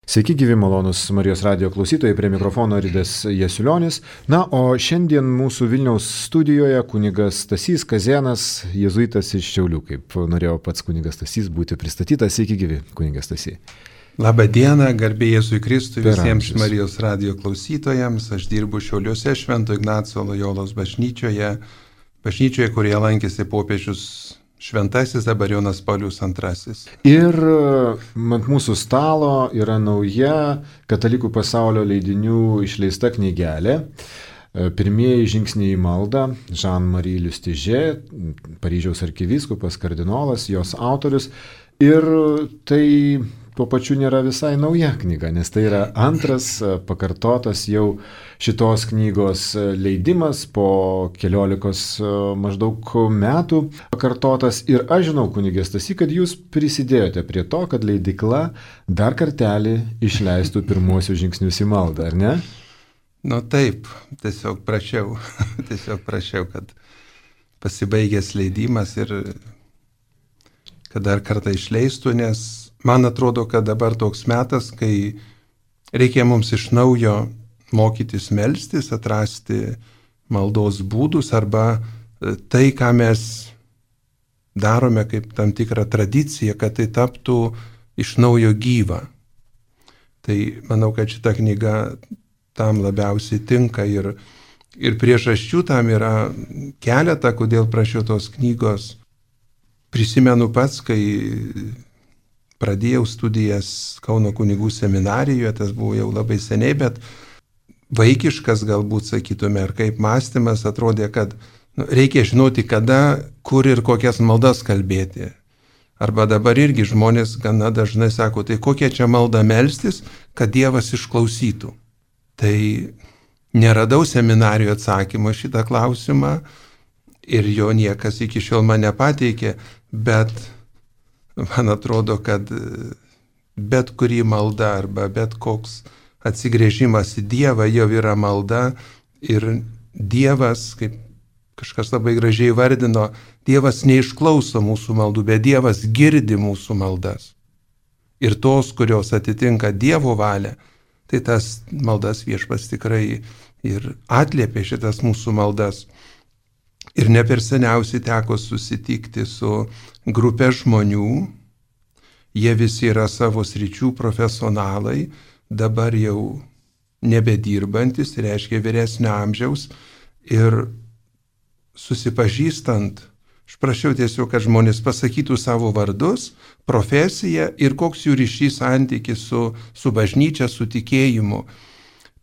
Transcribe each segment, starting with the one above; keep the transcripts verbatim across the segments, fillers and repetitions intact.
Sveiki, gyvi malonus Marijos radijo klausytojai, prie mikrofono Ridas Jasiulionis. Na, o šiandien mūsų Vilniaus studijoje kunigas Stasys Kazėnas, jėzuitas iš Šiaulių, kaip norėjo pats kunigas Stasys būti pristatytas. Sveiki, gyvi, kunigas Stasy. Labą dieną, garbė Jėzui Kristui, visiems Marijos radijo klausytojams. Aš dirbu Šiauliuose Švento Ignaco Lojolos bažnyčioje, bažnyčioje, kurioje lankėsi popiežius Šventasis dabar Jonas Paulius antrasis. Ir ant mūsų stalo yra nauja Katalikų pasaulio leidinių išleista knygelė. Pirmieji žingsniai į maldą. Jean-Marie Lustiger, Paryžiaus arkivyskupas, kardinolas, jos autorius. Ir tai tuo pačiu nėra visai nauja knyga, nes tai yra antras pakartotas jau šitos knygos leidimas po keliolikos maždaug metų pakartotas. Ir aš žinau, kunige Stasy, kad jūs prisidėjote prie to, kad leidykla dar kartelį išleistų pirmuosius žingsnius į maldą, ar ne? Nu taip, tiesiog prašiau, tiesiog prašiau, kad pasibaigęs leidimas ir kad dar kartą išleistų, nes man atrodo, kad dabar toks metas, kai reikia mums iš naujo mokytis melstis, atrasti maldos būdus arba tai, ką mes darome kaip tam tikrą tradiciją, kad tai taptų iš naujo gyva. Tai manau, kad šita knyga tam labiausiai tinka ir, ir priežasčių tam yra keletą, kodėl prašiau tos knygos. Prisimenu pats, kai pradėjau studijas Kauno kunigų seminarijoje, tas buvo jau labai seniai, bet vaikiškas galbūt sakytume, ar kaip mąstymas atrodė, kad nu, reikia žinoti, kada, kur ir kokias maldas kalbėti. Arba dabar irgi žmonės gana dažnai sako, tai kokia čia malda melstis, kad Dievas išklausytų. Tai neradau seminarijoje atsakymo šitą klausimą ir jo niekas iki šiol man nepateikė, bet man atrodo, kad bet kuri malda arba bet koks atsigrėžimas į Dievą jau yra malda ir Dievas, kaip kažkas labai gražiai vardino, Dievas neišklauso mūsų maldų, bet Dievas girdi mūsų maldas. Ir tos, kurios atitinka Dievo valią, tai tas maldas Viešpats tikrai ir atliepė šitas mūsų maldas. Ir ne per seniausiai teko susitikti su grupė žmonių, jie visi yra savo sričių profesionalai, dabar jau nebedirbantis, reiškia vyresnio amžiaus, ir susipažįstant, aš prašiau tiesiog, kad žmonės pasakytų savo vardus, profesiją ir koks jų ryšys santykis su, su bažnyčia, su tikėjimu.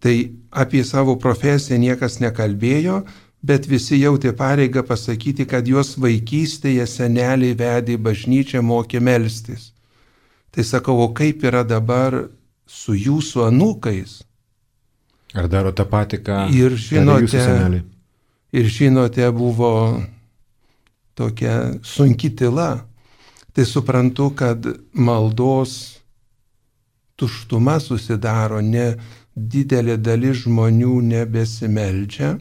Tai apie savo profesiją niekas nekalbėjo, bet visi jautė pareigą pasakyti, kad juos vaikystėje seneliai vedė į bažnyčią, mokė melstis. Tai sakau, o kaip yra dabar su jūsų anūkais? Ar daro tą patį, ką ir žinote, jūsų seneliai? Ir žinote, buvo tokia sunki tyla. Tai suprantu, kad maldos tuštuma susidaro, ne didelė dalis žmonių nebesimeldžia.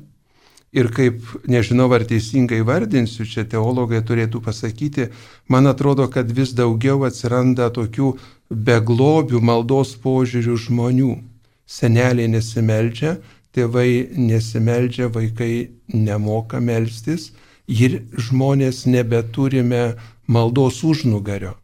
Ir kaip, nežinau, ar teisingai vardinsiu, čia teologai turėtų pasakyti, man atrodo, kad vis daugiau atsiranda tokių beglobių maldos požiūrių žmonių. Seneliai nesimeldžia, tėvai nesimeldžia, vaikai nemoka melstis ir žmonės nebeturime maldos užnugario.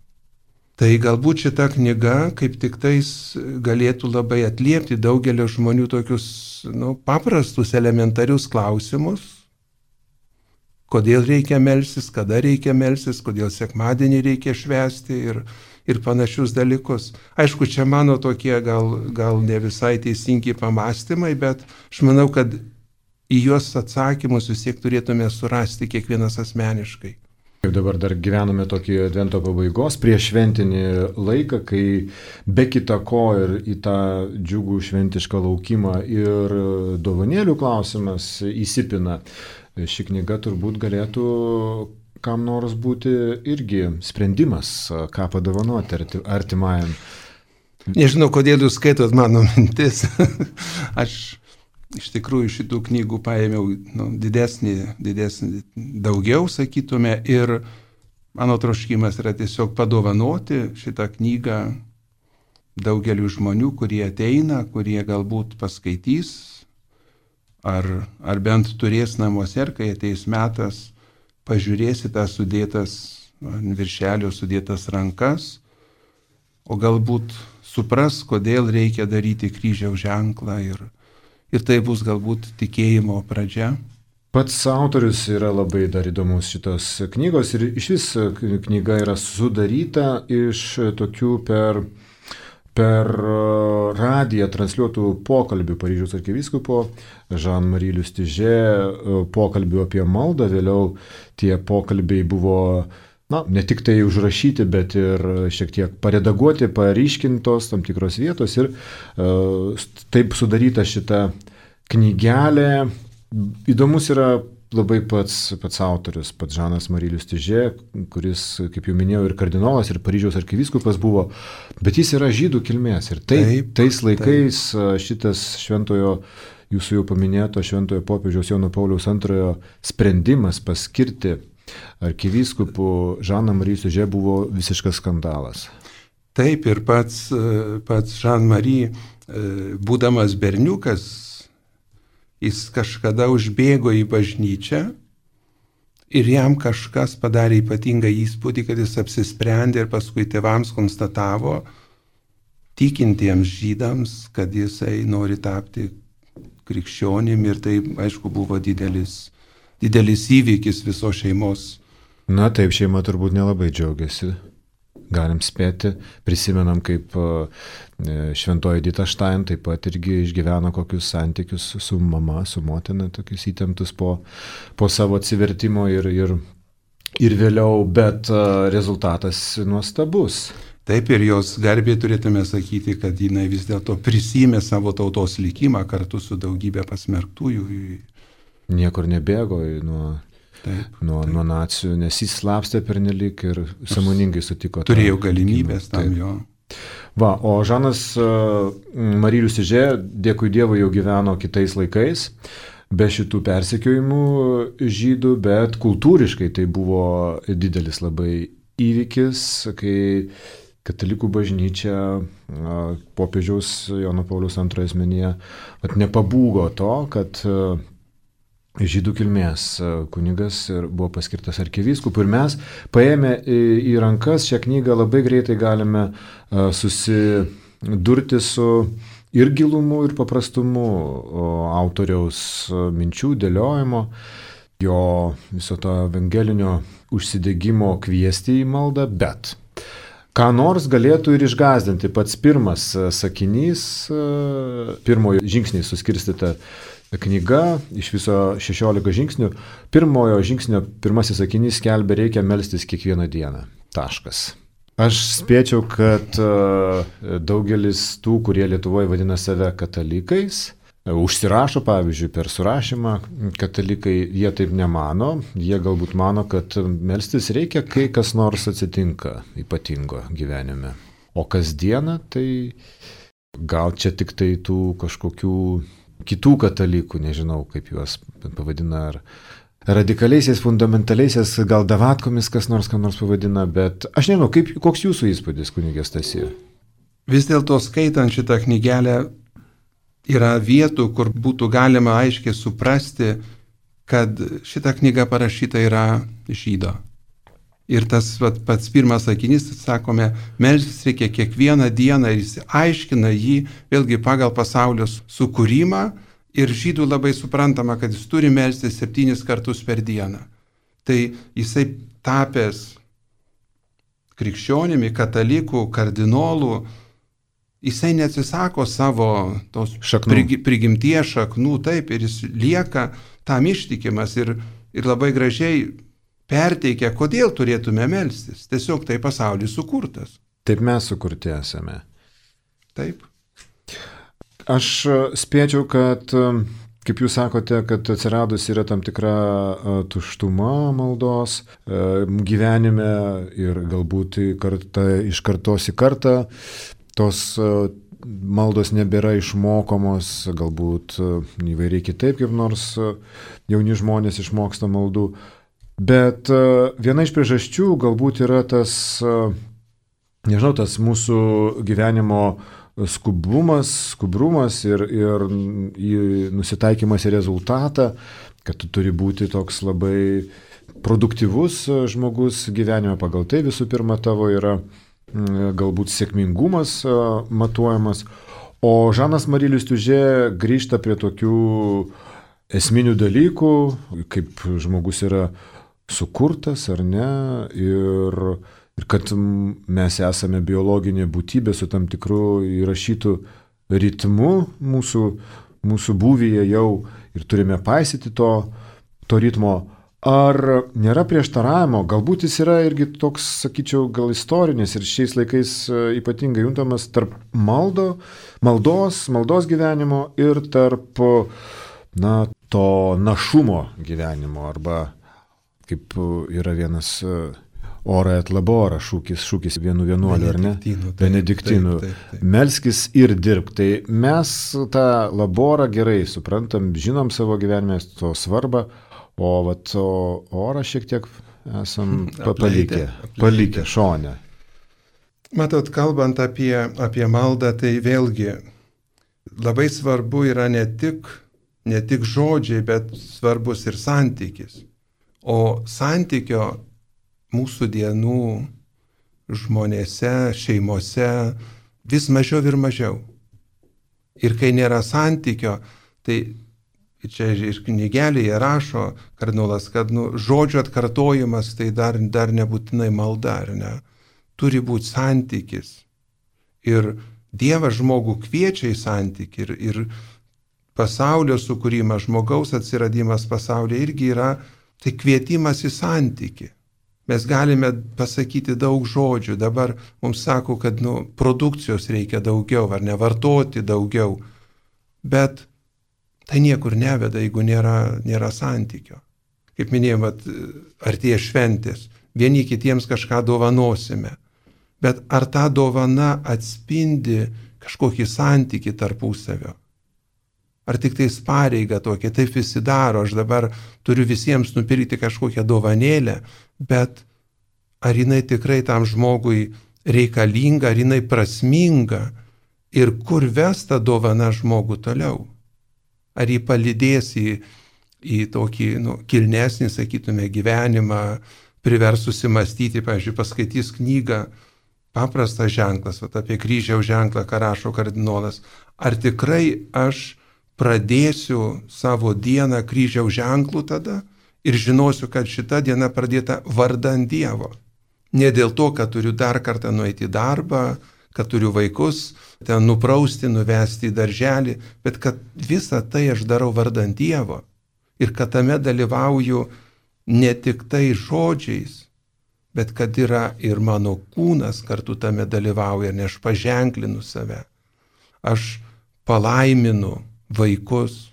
Tai galbūt šita knyga kaip tik tais galėtų labai atliepti daugelio žmonių tokius nu, paprastus, elementarius klausimus. Kodėl reikia melstis, kada reikia melstis, kodėl sekmadienį reikia švęsti ir, ir panašius dalykus. Aišku, čia mano tokie gal, gal ne visai teisingi pamastymai, bet aš manau, kad į juos atsakymus vis tiek turėtume surasti kiekvienas asmeniškai. Kaip dabar dar gyvename tokį advento pabaigos prieš šventinį laiką, kai be kita ko ir į tą džiugų šventišką laukimą ir dovanėlių klausimas įsipina. Ši knyga turbūt galėtų kam nors būti irgi sprendimas, ką padovanoti artimajam. Nežinau, kodėl jūs skaitot mano mintis. Aš iš tikrųjų šitų knygų paėmiau nu, didesnį, didesnį, daugiau, sakytume, ir mano troškimas yra tiesiog padovanoti šitą knygą daugeliu žmonių, kurie ateina, kurie galbūt paskaitys, ar, ar bent turės namuose, ir kai ateis metas, pažiūrėsi tą sudėtas, ant viršelio sudėtas rankas, o galbūt supras, kodėl reikia daryti kryžiaus ženklą, ir, ir tai bus galbūt tikėjimo pradžia. Pats autorius yra labai dar įdomus šitos knygos ir iš vis knyga yra sudaryta iš tokių per, per radiją transliuotų pokalbių Paryžiaus arkivyskupo Jean-Marie Lustiger, pokalbių apie maldą. Vėliau tie pokalbiai buvo, na, ne tik tai užrašyti, bet ir šiek tiek paredaguoti, paryškintos tam tikros vietos ir uh, taip sudaryta šita knygelė. Įdomus yra labai pats, pats autorius, pats Žanas-Marie Lustiger, kuris, kaip jau minėjau, ir kardinolas, ir Paryžiaus arkivyskupas buvo, bet jis yra žydų kilmės. Ir tai, taip, tais laikais taip. Šitas šventojo, jūsų jau paminėto šventojo popiežiaus Jono Pauliaus antrojo sprendimas paskirti arkivyskupų Žaną-Marie Lustiger buvo visiškas skandalas. Taip, ir pats, pats Jean-Marie, būdamas berniukas, jis kažkada užbėgo į bažnyčią ir jam kažkas padarė ypatingą įspūdį, kad jis apsisprendė ir paskui tėvams konstatavo, tikintiems žydams, kad jisai nori tapti krikščionim, ir tai, aišku, buvo didelis, didelis įvykis visos šeimos. Na taip, šeima turbūt nelabai džiaugiasi. Galim spėti, prisimenam, kaip šventoji Edita Stein taip pat irgi išgyveno kokius santykius su mama, su motina, tokius įtemptus po, po savo atsivertimo ir, ir, ir vėliau, bet rezultatas nuostabus. Taip, ir jos garbė turėtume sakyti, kad jinai vis dėlto prisimė savo tautos likimą kartu su daugybė pasmerktųjų. Niekur nebėgo nuo... Taip, nuo, taip. nuo nacijų, nes jis slapstė pernelyg ir sąmoningai sutiko. Turėjau galimybės tam jo. Va, o Žanas-Marie Lustiger, dėkui Dievui, jau gyveno kitais laikais, be šitų persekiojimų žydų, bet kultūriškai tai buvo didelis labai įvykis, kai katalikų bažnyčia popiežiaus Jono Pauliaus antrojo asmenyje nepabūgo to, kad žydų kilmės kunigas buvo paskirtas arkivyskupu, ir mes paėmę į rankas šią knygą labai greitai galime susidurti su ir gilumu, ir paprastumu autoriaus minčių dėliojimo, jo viso to evangelinio užsidegimo kviesti į maldą, bet ką nors galėtų ir išgąsdinti. Pats pirmas sakinys, pirmojo žingsniai suskirstyta knyga, iš viso šešiolika žingsnių. Pirmojo žingsnio pirmasis sakinys skelbia, reikia melstis kiekvieną dieną. Taškas. Aš spėčiau, kad daugelis tų, kurie Lietuvoje vadina save katalikais, užsirašo, pavyzdžiui, per surašymą katalikai, jie taip nemano. Jie galbūt mano, kad melstis reikia, kai kas nors atsitinka ypatingo gyvenime. O kasdieną tai gal čia tik tai tų kažkokių kitų katalikų, nežinau, kaip juos pavadina, ar radikaliaisiais, fundamentaliaisiais, gal davatkomis kas nors, ką nors pavadina, bet aš nežinau, kaip, koks jūsų įspūdis, kunigė Stasy? Vis dėlto skaitant šitą knygelę yra vietų, kur būtų galima aiškiai suprasti, kad šita knyga parašyta yra žydo. Ir tas vat, pats pirmas sakinys, sakome, melstis reikia kiekvieną dieną, ir jis aiškina jį vėlgi pagal pasaulio sukūrimą, ir žydų labai suprantama, kad jis turi melstis septynis kartus per dieną. Tai jisai tapęs krikščionimi, katalikų, kardinolų, jisai neatsisako savo tos šaknų. prigimties šaknų, taip, ir jis lieka tam ištikimas ir, ir labai gražiai perteikia, kodėl turėtume melstis. Tiesiog tai pasaulis sukurtas. Taip mes sukurti esame. Taip. Aš spėčiau, kad, kaip jūs sakote, kad atsiradus yra tam tikra tuštuma maldos gyvenime ir galbūt karta, iš kartos į kartą tos maldos nebėra išmokomos, galbūt įvairiai kitaip, kaip nors jauni žmonės išmoksta maldų. Bet viena iš priežasčių galbūt yra tas nežinau, tas mūsų gyvenimo skubumas, skubrumas ir, ir nusitaikymas į rezultatą, kad tu turi būti toks labai produktyvus žmogus gyvenime, pagal tai visų pirma tavo yra galbūt sėkmingumas matuojamas. O Žanas Mari Liustižė grįžta prie tokių esminių dalykų, kaip žmogus yra sukurtas ar ne, ir, ir kad mes esame biologinė būtybė su tam tikru įrašytų ritmu mūsų, mūsų būvyje jau ir turime paisyti to, to ritmo. Ar nėra prieštaravimo, galbūt jis yra irgi toks, sakyčiau, gal istorinis ir šiais laikais ypatingai juntamas tarp maldo, maldos, maldos gyvenimo ir tarp, na, to našumo gyvenimo, arba kaip yra vienas ora et labora šūkis, šūkis vienų vienuolių, ar ne? Benediktinų. Melskis ir dirbk. Tai mes tą laborą gerai suprantam, žinom savo gyvenime to svarbą, o vat, o orą šiek tiek esam palikę, palikę šone. Matot, kalbant apie, apie maldą, tai vėlgi labai svarbu yra ne tik, ne tik žodžiai, bet svarbus ir santykis. O santykio mūsų dienų žmonėse, šeimose vis mažiau ir mažiau. Ir kai nėra santykio, tai čia ir knygelėje rašo kardinolas, kad nu, žodžio atkartojimas tai dar, dar nebūtinai malda, ar ne? Turi būti santykis. Ir Dievas žmogų kviečia į santykį. Ir, ir pasaulio sukūrimas, žmogaus atsiradimas pasaulyje irgi yra tai kvietimas į santykį. Mes galime pasakyti daug žodžių. Dabar mums sako, kad nu, produkcijos reikia daugiau, ar ne, vartoti daugiau. Bet tai niekur neveda, jeigu nėra, nėra santykio. Kaip minėjom, artėja šventės, vieni kitiems kažką dovanosime. Bet ar ta dovana atspindi kažkokį santykį tarpusavio? Ar tik tais pareiga tokia, taip visi daro, aš dabar turiu visiems nupirkti kažkokią dovanėlę, bet ar jinai tikrai tam žmogui reikalinga, ar jinai prasminga ir kur ves ta dovana žmogų toliau? Ar jį palydės į, į tokį nu, kilnesnį, sakytume, gyvenimą, privers susimastyti, pavyzdžiui, paskaitys knygą, paprastas ženklas, vat, apie kryžiaus ženklą, ką rašo kardinolas. Ar tikrai aš pradėsiu savo dieną kryžiaus ženklų tada ir žinosiu, kad šita diena pradėta vardan Dievo. Ne dėl to, kad turiu dar kartą nueiti į darbą, kad turiu vaikus, ten nuprausti, nuvesti į darželį, bet kad visą tai aš darau vardan Dievo ir kad tame dalyvauju ne tik tai žodžiais, bet kad yra ir mano kūnas kartu tame dalyvauja, nes aš paženklinu save. Aš palaiminu vaikus,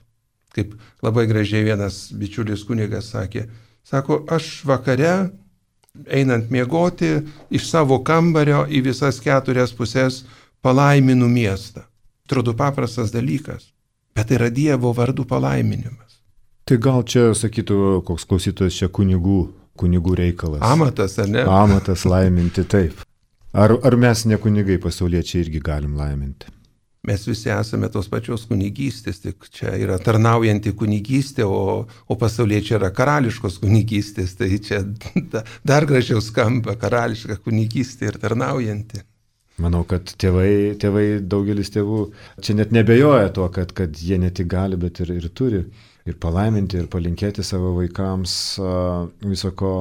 kaip labai gražiai vienas bičiulis kunigas sakė, sako, aš vakare einant miegoti iš savo kambario į visas keturias pusės palaiminu miestą. Atrodo paprastas dalykas, bet tai yra Dievo vardų palaiminimas. Tai gal čia, sakytų, koks klausytojas čia kunigų, kunigų reikalas. Amatas, ar ne? Amatas laiminti, taip. Ar, ar mes ne kunigai pasauliečiai irgi galim laiminti? Mes visi esame tos pačios kunigystės, tik čia yra tarnaujanti kunigystė, o, o pasauliečiai yra karališkos kunigystės, tai čia dar gražiau skamba karališka kunigystė ir tarnaujanti. Manau, kad tėvai, tėvai daugelis tėvų čia net nebejoja to, kad, kad jie ne tik gali, bet ir, ir turi ir palaiminti, ir palinkėti savo vaikams viso ko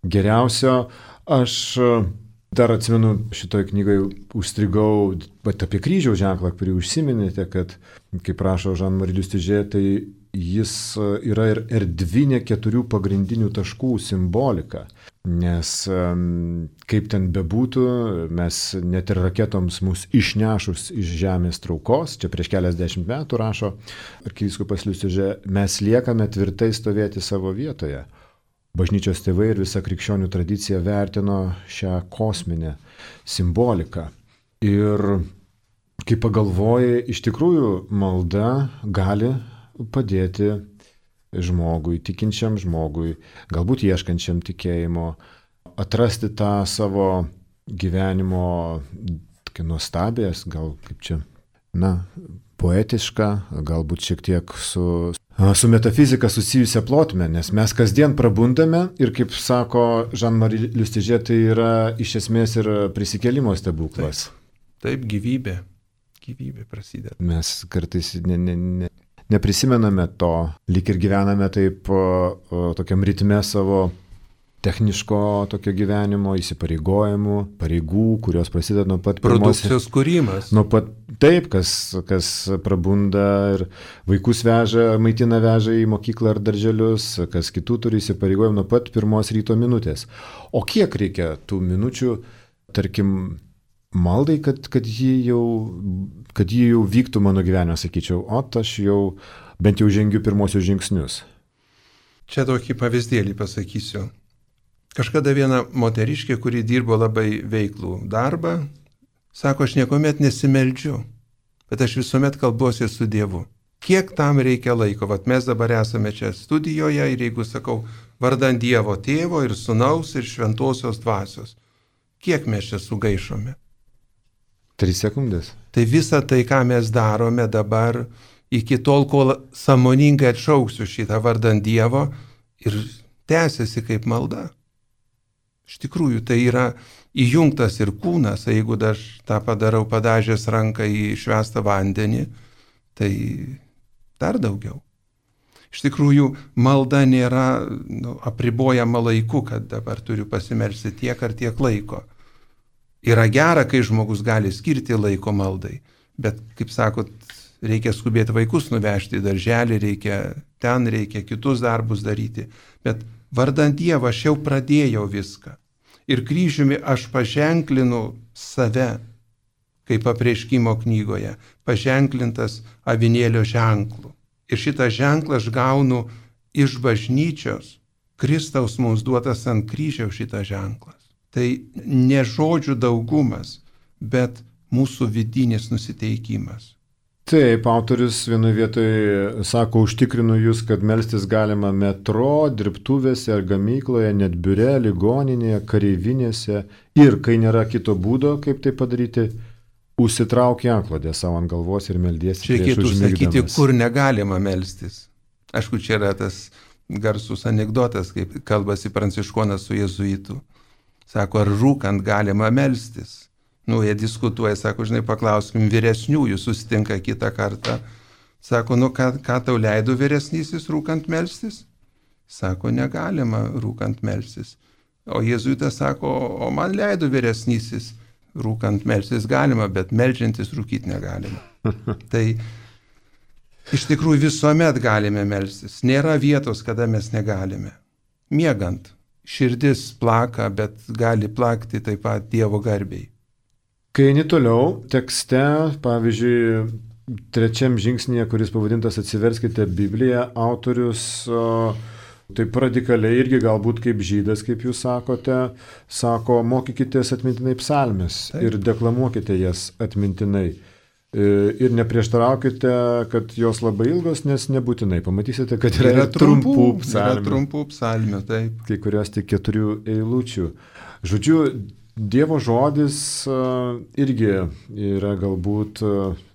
geriausio. Aš dar atsimenu, šitoje knygoje užstrigau apie kryžiaus ženklą, kurį užsiminėte, kad, kaip rašo Žan Mari Liustižė, tai jis yra ir erdvinė keturių pagrindinių taškų simbolika. Nes kaip ten bebūtų, mes net ir raketoms mus išnešus iš žemės traukos, čia prieš keliasdešimt metų rašo arkivyskupas Liustižė, mes liekame tvirtai stovėti savo vietoje. Bažnyčios tėvai ir visa krikščionių tradicija vertino šią kosminę simboliką. Ir kai pagalvoji, iš tikrųjų malda gali padėti žmogui, tikinčiam žmogui, galbūt ieškančiam tikėjimo, atrasti tą savo gyvenimo tokia nuostabės, gal kaip čia, na, poetiška, galbūt šiek tiek su, su metafizika susijusią plotmę, nes mes kasdien prabundame ir, kaip sako Jean-Marie Lustiger, tai yra iš esmės ir prisikėlimo stebuklas. Taip, taip gyvybė, gyvybė prasideda. Mes kartais ne, ne, ne, neprisimename to, lyg ir gyvename taip o, o, tokiam ritme savo techniško tokio gyvenimo, įsipareigojimų, pareigų, kurios prasideda nuo pat pirmos. Produkcijos kūrimas. Nuo pat taip, kas, kas prabunda ir vaikus veža, maitina veža į mokyklą ar darželius, kas kitų turi įsipareigojimų nuo pat pirmos ryto minutės. O kiek reikia tų minučių, tarkim, maldai, kad, kad, ji jau, kad ji jau vyktų mano gyvenime, sakyčiau, o aš jau bent jau žengiu pirmosius žingsnius. Čia tokį pavyzdėlį pasakysiu. Kažkada viena moteriškė, kuri dirbo labai veiklų darbą, sako, aš niekuomet nesimeldžiu, bet aš visuomet kalbuosi su Dievu. Kiek tam reikia laiko? Vat mes dabar esame čia studijoje ir jeigu sakau, vardan Dievo Tėvo ir Sūnaus ir Šventosios Dvasios, kiek mes čia sugaišome? Tris sekundės. Tai visa tai, ką mes darome dabar, iki tol, kol sąmoningai atšauksiu šitą vardan Dievo ir tęsiasi kaip malda. Iš tikrųjų, tai yra įjungtas ir kūnas, jeigu aš tą padarau padažęs ranką į švęstą vandenį, tai dar daugiau. Iš tikrųjų, malda nėra nu, apribojama laiku, kad dabar turiu pasimelsti tiek ar tiek laiko. Yra gera, kai žmogus gali skirti laiko maldai, bet, kaip sakot, reikia skubėti vaikus nuvežti į darželį, reikia ten, reikia kitus darbus daryti, bet vardant Dievą aš jau pradėjau viską. Ir kryžiumi aš paženklinu save, kaip apreiškimo knygoje, paženklintas avinėlio ženklu. Ir šitą ženklą aš gaunu iš bažnyčios, Kristaus mums duotas ant kryžiaus šitas ženklas. Tai ne žodžių daugumas, bet mūsų vidinis nusiteikimas. Taip, autorius vienoje vietoje sako, užtikrinu jūs, kad melstis galima metro, dirbtuvėse ar gamykloje, net biure, ligoninėje, kareivinėse ir, kai nėra kito būdo, kaip tai padaryti, užsitrauk antklodę savo ant galvos ir meldiesi prieš užmigdamas. Čia reikėtų sakyti, kur negalima melstis. Aišku, čia yra tas garsus anekdotas, kaip kalbasi pranciškonas su jėzuitu. Sako, ar rūkant galima melstis? Nu, jie diskutuoja, sako, žinai, paklauskim vyresniųjų, susitinka kitą kartą. Sako, nu, ką, ką tau leido vyresnysis rūkant melstis? Sako, negalima rūkant melstis. O jėzuitas sako, o man leido vyresnysis rūkant melstis galima, bet meldžiantis rūkyti negalima. Tai iš tikrųjų visuomet galime melstis. Nėra vietos, kada mes negalime. Miegant, širdis plaka, bet gali plakti taip pat Dievo garbiai. Kai eini toliau, tekste, pavyzdžiui, trečiam žingsnėje, kuris pavadintas Atsiverskite Bibliją, autorius o, taip radikaliai irgi galbūt kaip žydas, kaip jūs sakote, sako, mokykitės atmintinai psalmes ir deklamuokite jas atmintinai. Ir neprieštaraukite, kad jos labai ilgos, nes nebūtinai. Pamatysite, kad yra, yra trumpų psalmių. Yra trumpų psalmių, taip. Kai kurios tik keturių eilučių. Žodžiu, Dievo žodis irgi yra galbūt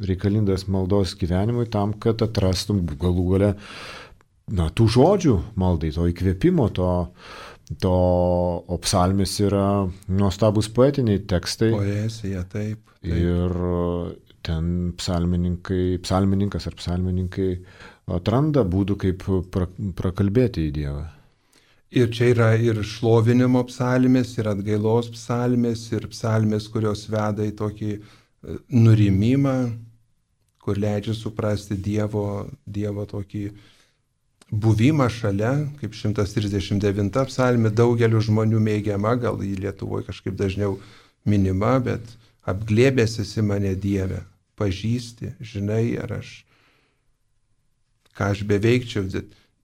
reikalingas maldos gyvenimui tam, kad atrastum galų gale na, tų žodžių maldai, to įkvėpimo, to, to o psalmės yra nuostabus poetiniai tekstai. Poezija, taip, taip. Ir ten psalmininkai, psalmininkas ar psalmininkai atranda būdų, kaip pra, prakalbėti į Dievą. Ir čia yra ir šlovinimo psalmės, ir atgailos psalmės, ir psalmės, kurios veda į tokį nurimimą, kur leidžia suprasti Dievo, Dievo tokį buvimą šalia, kaip šimtas trisdešimt devinta psalmė, daugeliu žmonių mėgiama, gal į Lietuvoje kažkaip dažniau minima, bet apglėbęs esi mane Dieve, pažįsti, žinai, ar aš, ką aš beveikčiau,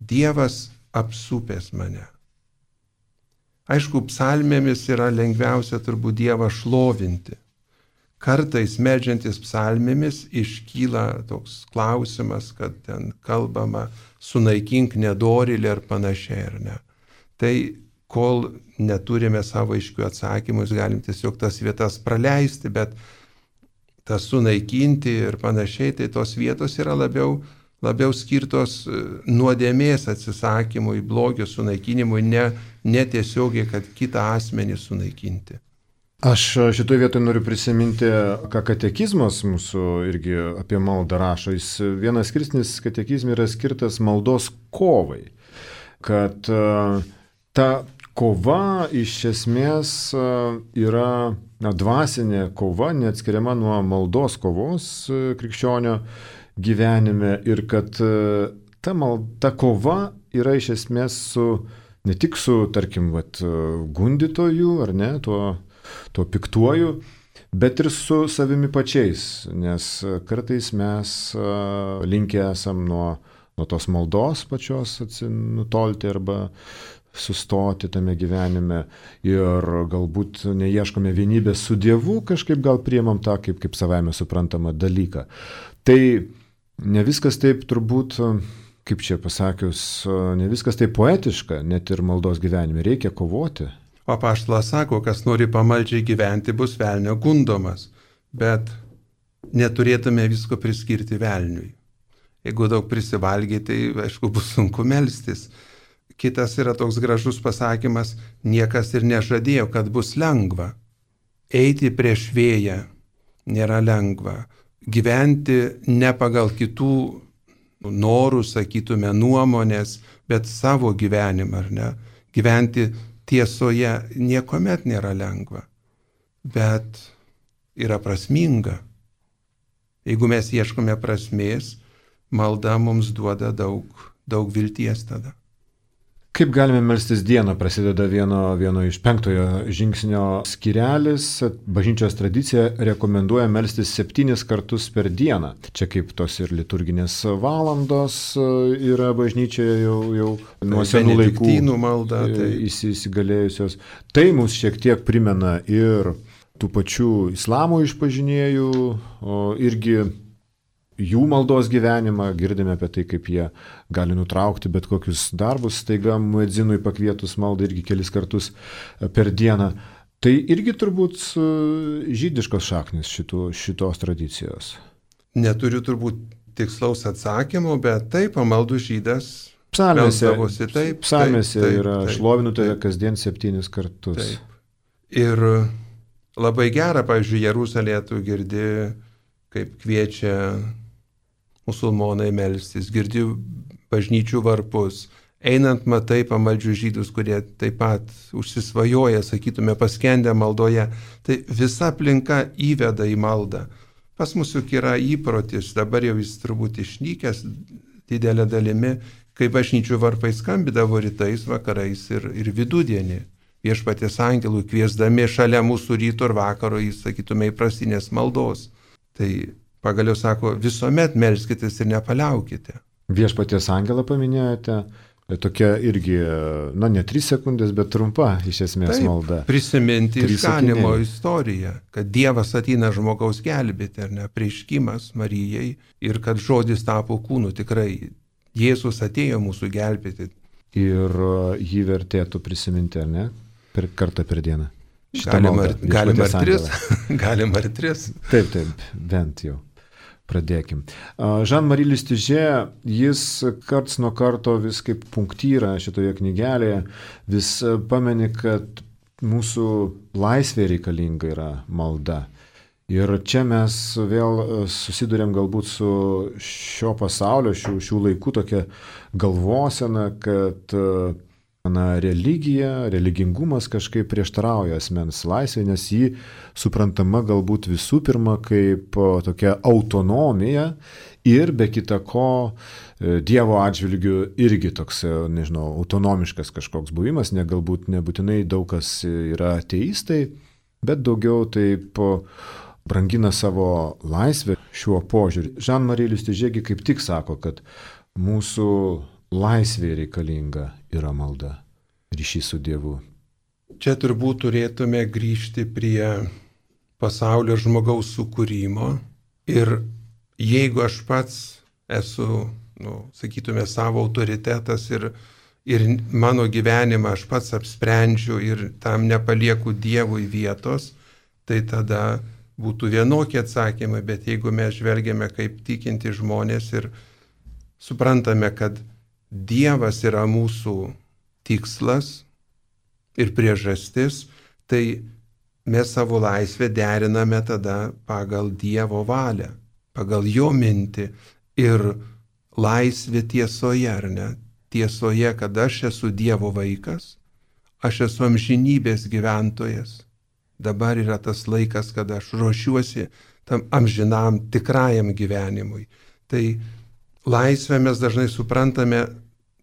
Dievas apsupęs mane. Aišku, psalmėmis yra lengviausia turbūt Dievą šlovinti. Kartais meldžiantis psalmėmis iškyla toks klausimas, kad ten kalbama sunaikink nedorilį ar panašiai, ar ne. Tai kol neturime savo aiškių atsakymų, galim tiesiog tas vietas praleisti, bet tas sunaikinti ir panašiai, tai tos vietos yra labiau, labiau skirtos nuodėmės atsisakymui, blogio sunaikinimui, ne, ne tiesiogiai, kad kitą asmenį sunaikinti. Aš šitoje vietoje noriu prisiminti, ką katekizmas mūsų irgi apie maldą rašo. Jis vienas skirsnis katekizme yra skirtas maldos kovai. Kad ta kova iš esmės yra na, dvasinė kova, neatskiriama nuo maldos kovos krikščionio gyvenime. Ir kad ta, mal, ta kova yra iš esmės su, ne tik su, tarkim, vat, gundytoju, ar ne, tuo tuo piktuoju, bet ir su savimi pačiais, nes kartais mes linkę esam nuo, nuo tos maldos pačios nutolti arba sustoti tame gyvenime ir galbūt neieškome vienybės su Dievu, kažkaip gal priimam tą kaip, kaip savaime suprantamą dalyką. Tai ne viskas taip turbūt, kaip čia pasakius, ne viskas taip poetiška, net ir maldos gyvenime reikia kovoti. O apaštalas sako, kas nori pamaldžiai gyventi, bus velnio gundomas, bet neturėtume visko priskirti velniui. Jeigu daug prisivalgiai, tai aišku bus sunku melstis. Kitas yra toks gražus pasakymas, niekas ir nežadėjo, kad bus lengva. Eiti prieš vėją nėra lengva. Gyventi ne pagal kitų norų, sakytume, nuomonės, bet savo gyvenimą, ar ne? Gyventi tiesoje niekuomet nėra lengva, bet yra prasminga. Jeigu mes ieškome prasmės, malda mums duoda daug, daug vilties tada. Kaip galime melstis dieną, prasideda vieno, vieno iš penktojo žingsnio skyrelis. Bažnyčios tradicija rekomenduoja melstis septynis kartus per dieną. Čia kaip tos ir liturginės valandos yra bažnyčioje jau, jau nuo senų laikų malda, tai įsigalėjusios. Tai mums šiek tiek primena ir tų pačių islamo išpažinėjų, o irgi jų maldos gyvenimą, girdime apie tai, kaip jie gali nutraukti bet kokius darbus, staiga muedzinui pakvietus maldą irgi kelis kartus per dieną. Tai irgi turbūt žydiškos šaknis šito, šitos tradicijos. Neturiu turbūt tikslaus atsakymo, bet taip, pamaldų žydas psalmėse, melsdavosi taip. Psalmėse taip, taip, yra taip, šlovinu tave taip, kasdien septynis kartus. Taip. Ir labai gera, pavyzdžiui, Jeruzalėje tu girdi, kaip kviečia musulmonai melstis, girdi bažnyčių varpus, einant matai pamaldžių žydus, kurie taip pat užsisvajoja, sakytume, paskendę maldoje, tai visa aplinka įveda į maldą. Pas mus juk yra įprotis, dabar jau jis turbūt išnykęs didelė dalimi, kai bažnyčių varpai skambidavo rytais, vakarais ir, ir vidudienį. Viešpaties angelų kviesdami šalia mūsų ryto ir vakaro, jis, sakytume, įprastinės maldos. Tai pagaliau sako, visuomet melskitės ir nepaliaukite. Viešpaties angelą paminėjote, tokia irgi, na ne tris sekundės, bet trumpa iš esmės Taip, malda. Prisiminti Trys išganimo sakiniai. istoriją, kad Dievas ateina žmogaus gelbėti, ar ne, prieškimas Marijai ir kad žodis tapo kūnu, tikrai Jėzus atėjo mūsų gelbėti. Ir jį vertėtų prisiminti, ar ne, per kartą per dieną. Galima ir, galima ir tris, galima ir tris. Taip, taip, bent jau. Pradėkim. Jean-Marie Lustiger, jis karts nuo karto vis kaip punktyrą šitoje knygelėje, vis pameni, kad mūsų laisvė reikalinga yra malda. Ir čia mes vėl susidurėm galbūt su šio pasaulio, šių, šių laikų tokia galvosena, kad na, religija, religingumas kažkaip prieštarauja asmens laisvė, nes jį suprantama galbūt visų pirma kaip tokia autonomija ir be kita ko Dievo atžvilgių irgi toks, nežinau, autonomiškas kažkoks buvimas, ne galbūt nebūtinai daug kas yra ateistai, bet daugiau taip brangina savo laisvę šiuo požiūriu. Jean-Marie Lustiger kaip tik sako, kad mūsų laisvė reikalinga yra malda, ryšys su Dievu. Čia turbūt turėtume grįžti prie pasaulio žmogaus sukūrimo ir jeigu aš pats esu, nu, sakytume, savo autoritetas ir, ir mano gyvenimą aš pats apsprendžiu ir tam nepalieku Dievui vietos, tai tada būtų vienokie atsakymai, bet jeigu mes žvelgiame kaip tikinti žmonės ir suprantame, kad Dievas yra mūsų tikslas ir priežastis, tai mes savo laisvę deriname tada pagal Dievo valią, pagal jo mintį ir laisvė tiesoje, ar ne? Tiesoje, kad aš esu Dievo vaikas, aš esu amžinybės gyventojas. Dabar yra tas laikas, kada aš ruošiuosi tam amžinam tikrajam gyvenimui. Tai laisvę mes dažnai suprantame,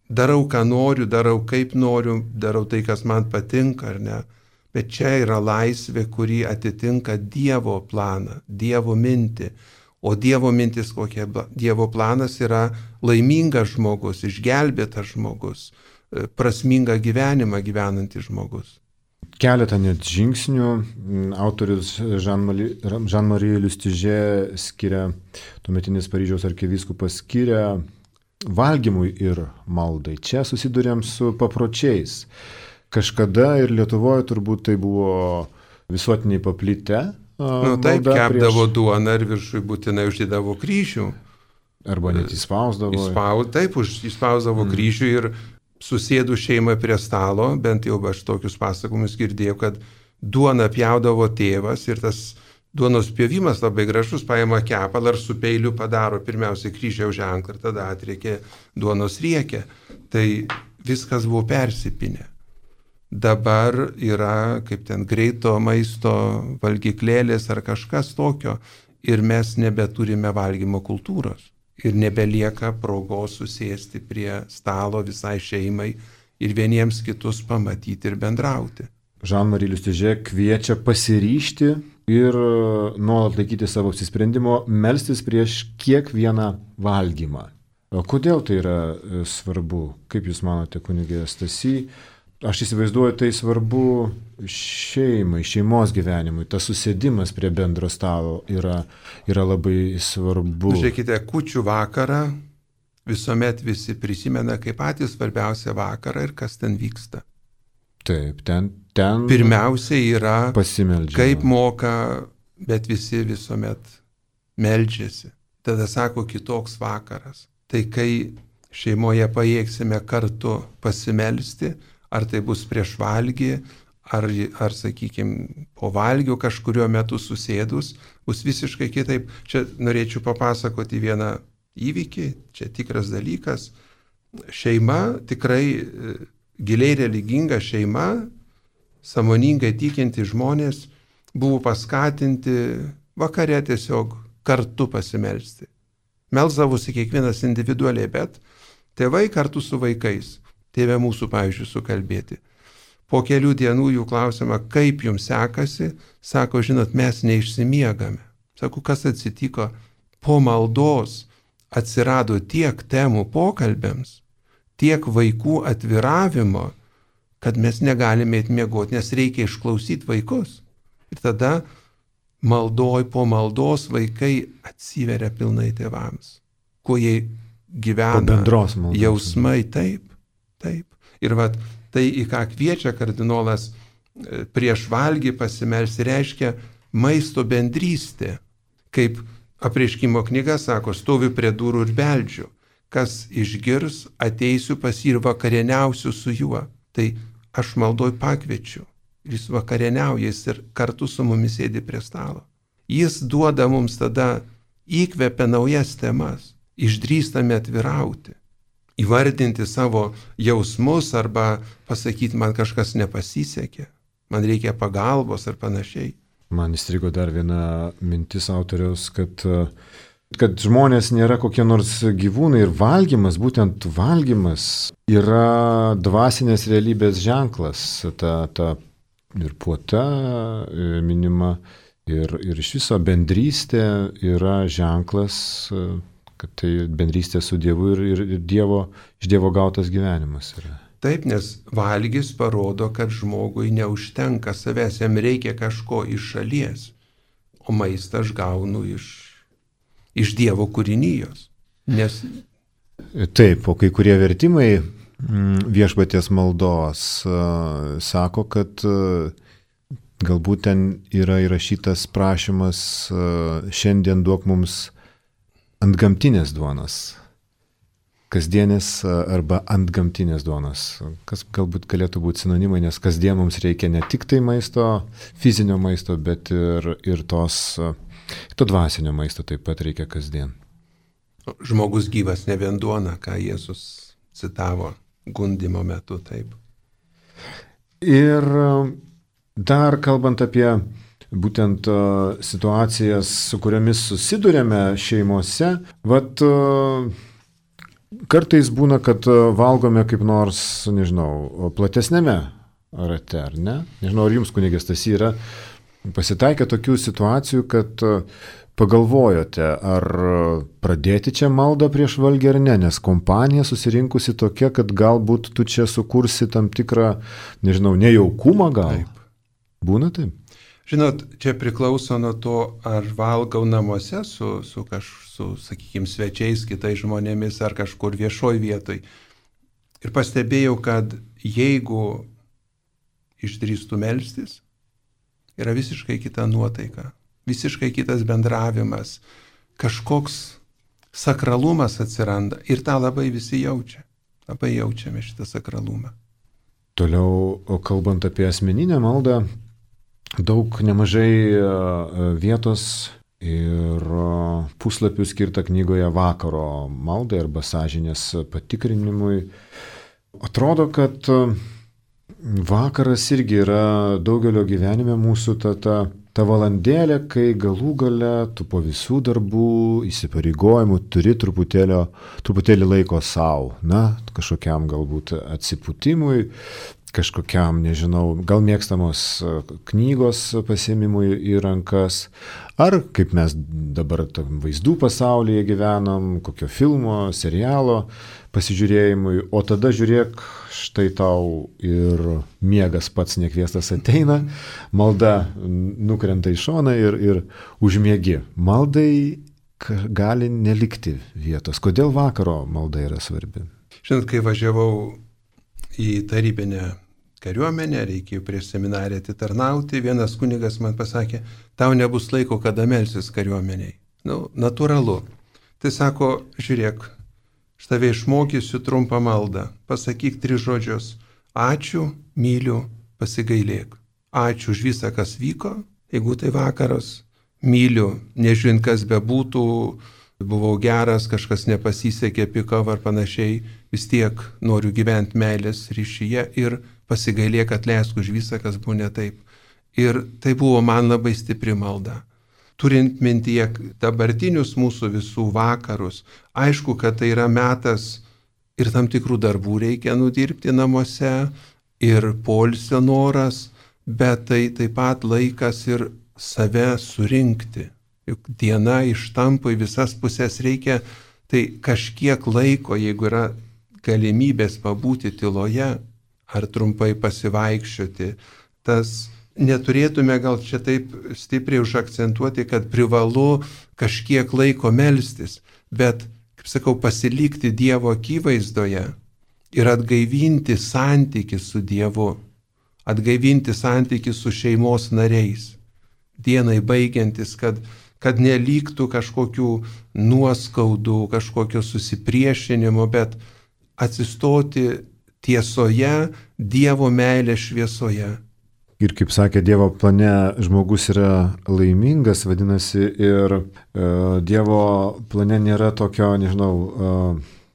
darau, ką noriu, darau, kaip noriu, darau tai, kas man patinka, ar ne? Bet čia yra laisvė, kuri atitinka Dievo planą, Dievo mintį. O Dievo mintis kokia? Dievo planas yra laimingas žmogus, išgelbėtas žmogus, prasmingą gyvenimą gyvenantis žmogus. Keletą net žingsnių autorius Jean-Marie Lustiger skiria, tuometinis Paryžiaus arkivyskupas skiria valgymui ir maldai. Čia susidurėm su papročiais. Kažkada ir Lietuvoje turbūt tai buvo visuotiniai paplitę. Nu taip, kepdavo prieš... duoną ir viršui būtinai uždėdavo kryžių. Arba net įspausdavo. Įspaus, taip, įspausdavo mm. kryžių ir susėdų šeimą prie stalo, bent jau aš tokius pasakojimus girdėjau, kad duoną pjaudavo tėvas ir tas duonos pjovimas labai gražus, paima kepalą ir su peiliu padaro pirmiausia kryžiaus ženklą ir tada atriekė duonos riekę. Tai viskas buvo persipinę. Dabar yra kaip ten greito maisto valgyklėlės ar kažkas tokio ir mes nebeturime valgymo kultūros. Ir nebelieka progos susėsti prie stalo visai šeimai ir vieniems kitus pamatyti ir bendrauti. Jean-Marie Lustiger kviečia pasiryžti ir nuolat laikyti savo apsisprendimo, melstis prieš kiekvieną valgymą. O kodėl tai yra svarbu? Kaip Jūs manote, kunigė Stasy? Aš įsivaizduoju, tai svarbu šeimai, šeimos gyvenimui. Tas susėdimas prie bendro stalo yra, yra labai svarbu. Žiūrėkite, kūčių vakarą visuomet visi prisimena kaip patį svarbiausią vakarą ir kas ten vyksta. Taip, ten, ten pirmiausia yra pasimeldžiama. Kaip moka, bet visi visuomet meldžiasi. Tada sako kitoks vakaras. Tai kai šeimoje pajėgsime kartu pasimelsti, ar tai bus prieš valgį, ar, ar sakykime, po valgio kažkurio metu susėdus, bus visiškai kitaip. Čia norėčiau papasakoti vieną įvykį, čia tikras dalykas. Šeima, tikrai giliai religinga šeima, sąmoningai tikinti žmonės, buvo paskatinti vakare tiesiog kartu pasimelsti. Melsdavosi kiekvienas individualiai, bet tėvai kartu su vaikais. Tėvė mūsų, pavyzdžiui, sukalbėti. Po kelių dienų jų klausima, kaip jums sekasi, sako, žinot, mes neišsimiegame. Sako, kas atsitiko? Po maldos atsirado tiek temų pokalbėms, tiek vaikų atviravimo, kad mes negalime atmiegoti, nes reikia išklausyti vaikus. Ir tada maldoj po maldos vaikai atsiveria pilnai tėvams. Kuo jie gyvena, jausmai taip. Taip. Ir vat, tai, į ką kviečia kardinolas prieš valgį pasimelsti, reiškia maisto bendrystė. Kaip apreiškimo knyga sako, stoviu prie durų ir beldžiu. Kas išgirs, ateisiu pas jį ir vakarieniausiu su juo. Tai aš maldoj pakviečiu. Ir jis vakarieniauja, jis ir kartu su mumis sėdi prie stalo. Jis duoda mums tada, įkvepia naujas temas. Išdrįstame atvirauti. Įvardinti savo jausmus arba pasakyti, man kažkas nepasisekė, man reikia pagalbos ar panašiai. Man įstrigo dar viena mintis autoriaus, kad, kad žmonės nėra kokie nors gyvūnai ir valgymas, būtent valgymas yra dvasinės realybės ženklas. Ta, ta ir puota minima ir, ir iš viso bendrystė yra ženklas, kad tai bendrystė su Dievu ir, ir, ir dievo, iš Dievo gautas gyvenimas yra. Taip, nes valgys parodo, kad žmogui neužtenka savęs, jam reikia kažko iš šalies, o maistą aš gaunu iš, iš Dievo kūrinijos. Nes... Taip, o kai kurie vertimai viešpaties maldos. Sako, kad galbūt ten yra įrašytas prašymas šiandien duok mums antgamtinės duonos. Kasdienės arba antgamtinės duonos. Kas galbūt galėtų būti sinonimai, nes kasdien mums reikia ne tik tai maisto, fizinio maisto, bet ir, ir tos, to dvasinio maisto taip pat reikia kasdien. Žmogus gyvas ne vien duona, ką Jėzus citavo gundimo metu, taip. Ir dar kalbant apie būtent uh, situacijas, su kuriomis susidurėme šeimose, vat uh, kartais būna, kad valgome kaip nors, nežinau, platesnėme rate, ar ne? Nežinau, ar jums, kunigė Stasy, yra pasitaikę tokių situacijų, kad pagalvojote, ar pradėti čia maldą prieš valgį ar ne, nes kompanija susirinkusi tokia, kad galbūt tu čia sukursi tam tikrą, nežinau, nejaukumą gal. Taip. Būna taip? Žinot, čia priklauso nuo to, ar valgau namuose su, su, kaž, su sakykime, svečiais, kitais žmonėmis, ar kažkur viešoj vietoj. Ir pastebėjau, kad jeigu išdrįstų melstis, yra visiškai kita nuotaika, visiškai kitas bendravimas, kažkoks sakralumas atsiranda ir tą labai visi jaučia. Labai jaučiame šitą sakralumą. Toliau, kalbant apie asmeninę maldą, daug nemažai vietos ir puslapių skirta knygoje vakaro maldai arba sąžinės patikrinimui. Atrodo, kad vakaras irgi yra daugelio gyvenime mūsų ta, ta, ta valandėlė, kai galų gale tu po visų darbų, įsipareigojimų turi truputėlį laiko savo, na, kažkokiam galbūt atsipūtimui, kažkokiam, nežinau, gal mėgstamos knygos pasiėmimui į rankas, ar kaip mes dabar vaizdų pasaulyje gyvenam, kokio filmo, serialo pasižiūrėjimui, o tada žiūrėk, štai tau ir miegas pats nekviestas ateina, malda nukrenta į šoną ir, ir užmiegi. Maldai gali nelikti vietos. Kodėl vakaro malda yra svarbi? Žinot, kai važiavau į tarybinę kariuomenę, reikėjo prieš seminariją atitarnauti, vienas kunigas man pasakė, tau nebus laiko, kada melsis kariuomeniai. Nu, natūralu. Tai sako, žiūrėk, aš tave išmokysiu trumpą maldą, pasakyk tris žodžius. Ačiū, myliu, pasigailėk. Ačiū už visą, kas vyko, jeigu tai vakaras. Myliu, nežiūrint, kas bebūtų, buvau geras, kažkas nepasisekė, pikau ar panašiai, vis tiek noriu gyventi meilės ryšyje ir pasigailėk, atleisk už visą, kas buvo ne taip. Ir tai buvo man labai stipri malda. Turint mintyje dabartinius mūsų visų vakarus, aišku, kad tai yra metas ir tam tikrų darbų reikia nudirbti namuose, ir poilsio noras, bet tai taip pat laikas ir save surinkti. Juk diena ištampo į visas pusės, reikia tai kažkiek laiko, jeigu yra galimybės pabūti tyloje ar trumpai pasivaikščioti. Tas neturėtume gal čia taip stipriai užakcentuoti, kad privalu kažkiek laiko melstis, bet, kaip sakau, pasilikti Dievo akivaizdoje ir atgaivinti santykį su Dievu, atgaivinti santykį su šeimos nariais. Dienai baigiantis, kad kad neliktų kažkokių nuoskaudų, kažkokio susipriešinimo, bet atsistoti tiesoje, Dievo meilės šviesoje. Ir kaip sakė, Dievo plane žmogus yra laimingas, vadinasi, ir e, Dievo plane nėra tokio, nežinau, e,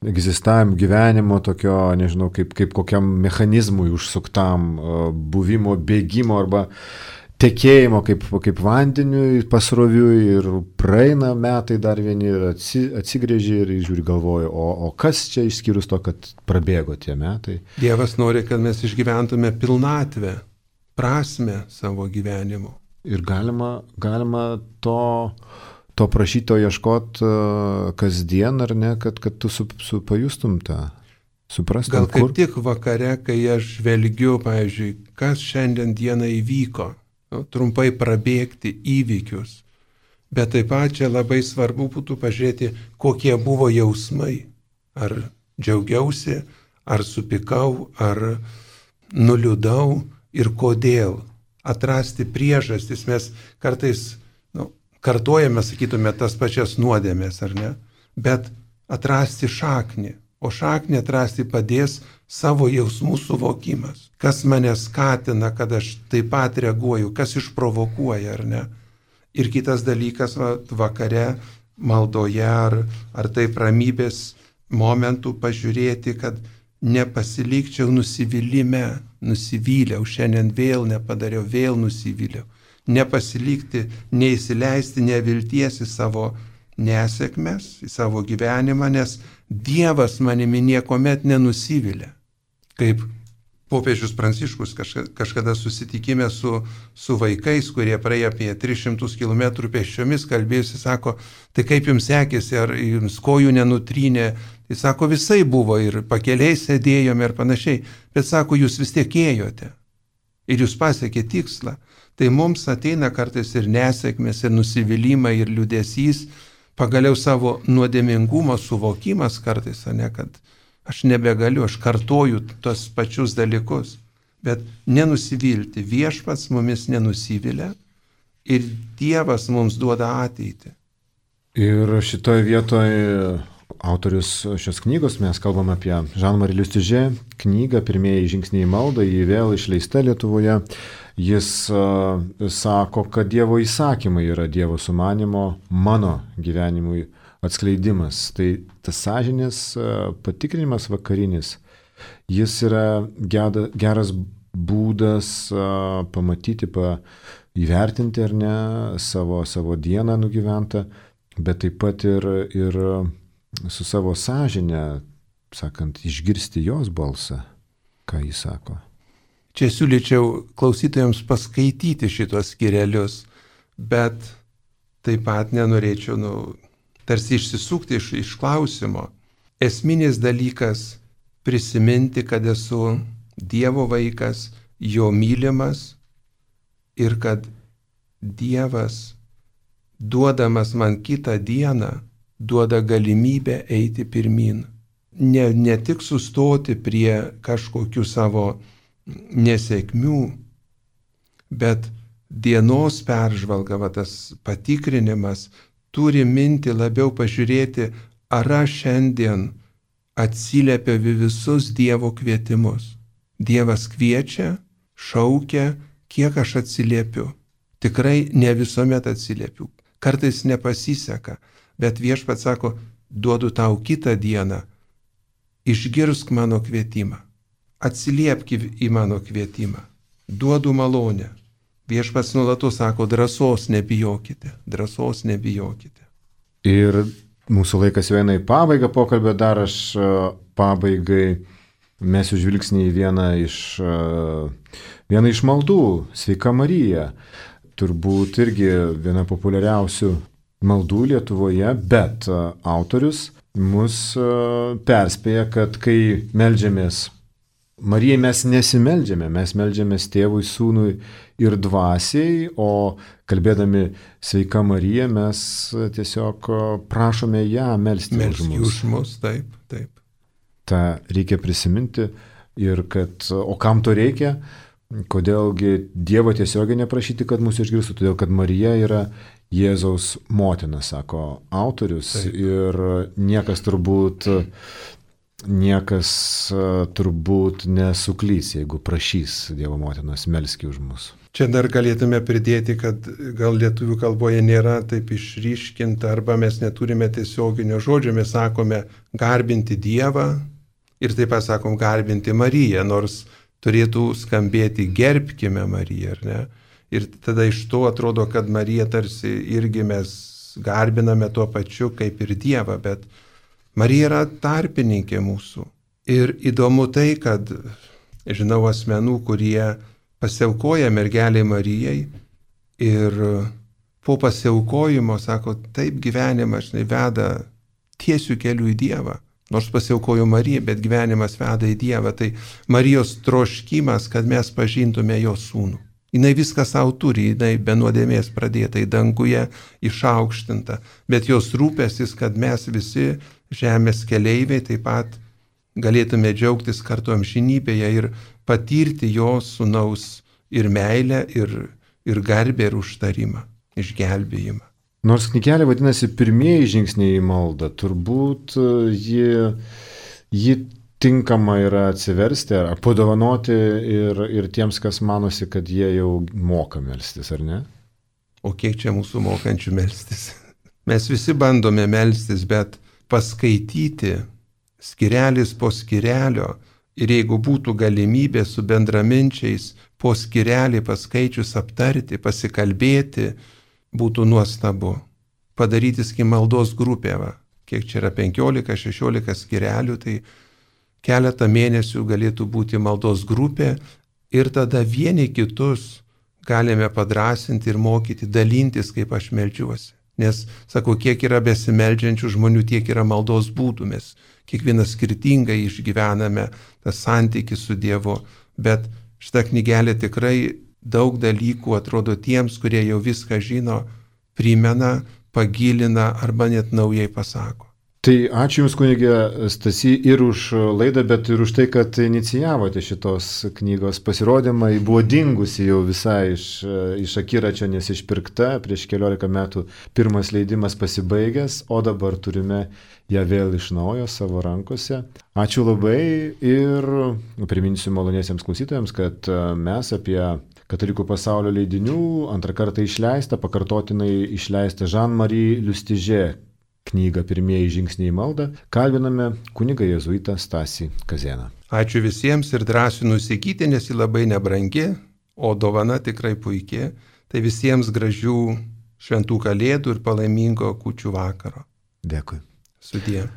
egzistavimo gyvenimo, tokio, nežinau, kaip, kaip kokiam mechanizmui užsuktam, e, buvimo, bėgimo arba tekėjimo kaip, kaip vandeniui, pasroviui, ir praeina metai dar vieni ir atsi, atsigrėžia ir žiūri galvoja, o, o kas čia išskyrus to, kad prabėgo tie metai. Dievas nori, kad mes išgyventume pilnatvę, prasmę savo gyvenimo. Ir galima, galima to, to prašyto ieškoti uh, kasdien, ar ne, kad, kad tu su, su pajustum tą, suprastum. Gal kaip kur? tik vakare, kai aš žvelgiu, pavyzdžiui, kas šiandien dieną įvyko, nu, trumpai prabėgti įvykius, bet taip pat čia labai svarbu būtų pažiūrėti, kokie buvo jausmai. Ar džiaugiausi, ar supykau, ar nuliūdau ir kodėl. Atrasti priežastis. Mes kartais nu, kartojame, sakytume, tas pačias nuodėmės, ar ne? Bet atrasti šaknį. O šaknį atrasti padės savo jausmų suvokimas. Kas mane skatina, kad aš taip pat reaguoju, kas išprovokuoja, ar ne? Ir kitas dalykas, va, vakare maldoje ar, ar taip ramybės momentų pažiūrėti, kad nepasilikčiau nusivylimę, nusivyliau, šiandien vėl nepadariau, vėl nusivyliau. Nepasilikti, neįsileisti nevilties į savo nesėkmes, į savo gyvenimą, nes Dievas manimi niekuomet nenusivilia. Kaip popiežius Pranciškus kažkada susitikime su, su vaikais, kurie praėjo apie tris šimtus kilometrų pėsčiomis, kalbėjusi, sako, tai kaip jums sekėsi, ar jums kojų nenutrynė? Jis sako, visai buvo ir pakeliai sėdėjome ir panašiai, bet sako, jūs vis tiek ėjote ir jūs pasiekė tikslą. Tai mums ateina kartais ir nesėkmės, ir nusivylimai, ir liūdesys, pagaliau savo nuodėmingumo suvokimas kartais, ne, kad aš nebegaliu, aš kartoju tos pačius dalykus, bet nenusivilti. Viešpats mumis nenusivilia ir Dievas mums duoda ateitį. Ir šitoje vietoje autorius šios knygos, mes kalbam apie Jean-Marie Lustiger knygą Pirmieji žingsniai į maldą, ji vėl išleista Lietuvoje. Jis uh, sako, kad Dievo įsakymai yra Dievo sumanimo mano gyvenimui atskleidimas. Tai tas sąžinės uh, patikrinimas vakarinis, jis yra geda, geras būdas uh, pamatyti, pa, įvertinti ar ne savo, savo dieną nugyventą, bet taip pat ir, ir su savo sąžinė, sakant, išgirsti jos balsą, ką jis sako. Čia siūlyčiau klausytojams paskaityti šitos skyrelius, bet taip pat nenorėčiau, nu, tarsi išsisukti iš, iš klausimo. Esminis dalykas prisiminti, kad esu Dievo vaikas, jo mylimas ir kad Dievas, duodamas man kitą dieną, duoda galimybę eiti pirmin. Ne, ne tik sustoti prie kažkokių savo nesėkmių, bet dienos peržvalga, va, tas patikrinimas turi minti labiau pažiūrėti, ar aš šiandien atsiliepiu visus Dievo kvietimus. Dievas kviečia, šaukia, kiek aš atsiliepiu. Tikrai ne visuomet atsiliepiu. Kartais nepasiseka, bet Viešpats sako, duodu tau kitą dieną, išgirsk mano kvietimą. Atsiliepk į mano kvietimą, duodu malonę. Viešpats nuolatos sako, drąsos nebijokite, drąsos nebijokite. Ir mūsų laikas jau eina į pabaigą pokalbio, dar aš pabaigai mesiu žvilgsnį į vieną iš, vieną iš maldų, Sveika Marija. Turbūt irgi viena populiariausių maldų Lietuvoje, bet autorius mus perspėja, kad kai meldžiamės Marijai, mes nesimeldžiame, mes meldžiamės Tėvui, Sūnui ir Dvasiai, o kalbėdami Sveika Marija, mes tiesiog prašome ją melsti už mus. Už mus, taip, taip. Ta reikia prisiminti ir kad, o kam to reikia, kodėlgi Dievo tiesiogiai neprašyti, kad mūsų išgirstų, todėl kad Marija yra Jėzaus motina, sako autorius, taip. Ir niekas turbūt Niekas turbūt nesuklys, jeigu prašys Dievo motinos melski už mus. Čia dar galėtume pridėti, kad gal lietuvių kalboje nėra taip išryškinta, arba mes neturime tiesioginio žodžio, mes sakome garbinti Dievą ir taip pat sakom garbinti Mariją, nors turėtų skambėti gerbkime Mariją, ar ne? Ir tada iš to atrodo, kad Mariją tarsi irgi mes garbiname tuo pačiu kaip ir Dievą, bet Marija yra tarpininkė mūsų. Ir įdomu tai, kad žinau asmenų, kurie pasiaukoja mergelei Marijai ir po pasiaukojimo sako, taip gyvenimas žinai, veda tiesių kelių į Dievą. Nors pasiaukojo Marija, bet gyvenimas veda į Dievą. Tai Marijos troškimas, kad mes pažintume jo sūnų. Jinai viską savo turi, jinai be nuodėmės pradėta į danguje, išaukštinta. Bet jos rūpestis, kad mes visi žemės keleiviai taip pat galėtume džiaugtis kartu amžinybėje ir patirti jo sūnaus ir meilę, ir, ir garbę, ir užtarimą, išgelbėjimą. Nors knygelė vadinasi Pirmieji žingsniai į maldą, turbūt ji, ji tinkama yra atsiversti ar padovanoti ir, ir tiems, kas manosi, kad jie jau moka melstis, ar ne? O kiek čia mūsų mokančių melstis? Mes visi bandome melstis, bet paskaityti skirelis po skirelio ir jeigu būtų galimybė su bendraminčiais po skirelį paskaičius aptarti, pasikalbėti, būtų nuostabu. Padaryti maldos grupę, va. Kiek čia yra penkiolika šešiolika skirelių, tai keletą mėnesių galėtų būti maldos grupė ir tada vieni kitus galime padrasinti ir mokyti, dalintis, kaip aš meldžiuosi. Nes, sakau, kiek yra besimeldžiančių žmonių, tiek yra maldos būdų. Mes kiekvienas skirtingai išgyvename tą santykį su Dievu, bet šita knygelė tikrai daug dalykų, atrodo, tiems, kurie jau viską žino, primena, pagilina arba net naujai pasako. Tai ačiū Jums, kunige Stasy, ir už laidą, bet ir už tai, kad inicijavote šitos knygos pasirodymą. Ji buvo dingusi jau visai iš, iš akiračio, nes išpirkta prieš keliolika metų, pirmas leidimas pasibaigęs, o dabar turime ją vėl iš naujo savo rankose. Ačiū labai ir priminsiu maloniesiems klausytojams, kad mes apie Katalikų pasaulio leidinių antrą kartą išleistą, pakartotinai išleistą Jean-Marie Lustiger knygą Pirmieji žingsniai į maldą kalbiname kunigą jėzuitą Stasį Kazėną. Ačiū visiems ir drąsiu nusikyti, nes ji labai nebrangi, o dovana tikrai puikiai. Tai visiems gražių šventų kalėdų ir palaimingo kūčių vakaro. Dėkui. Sudie.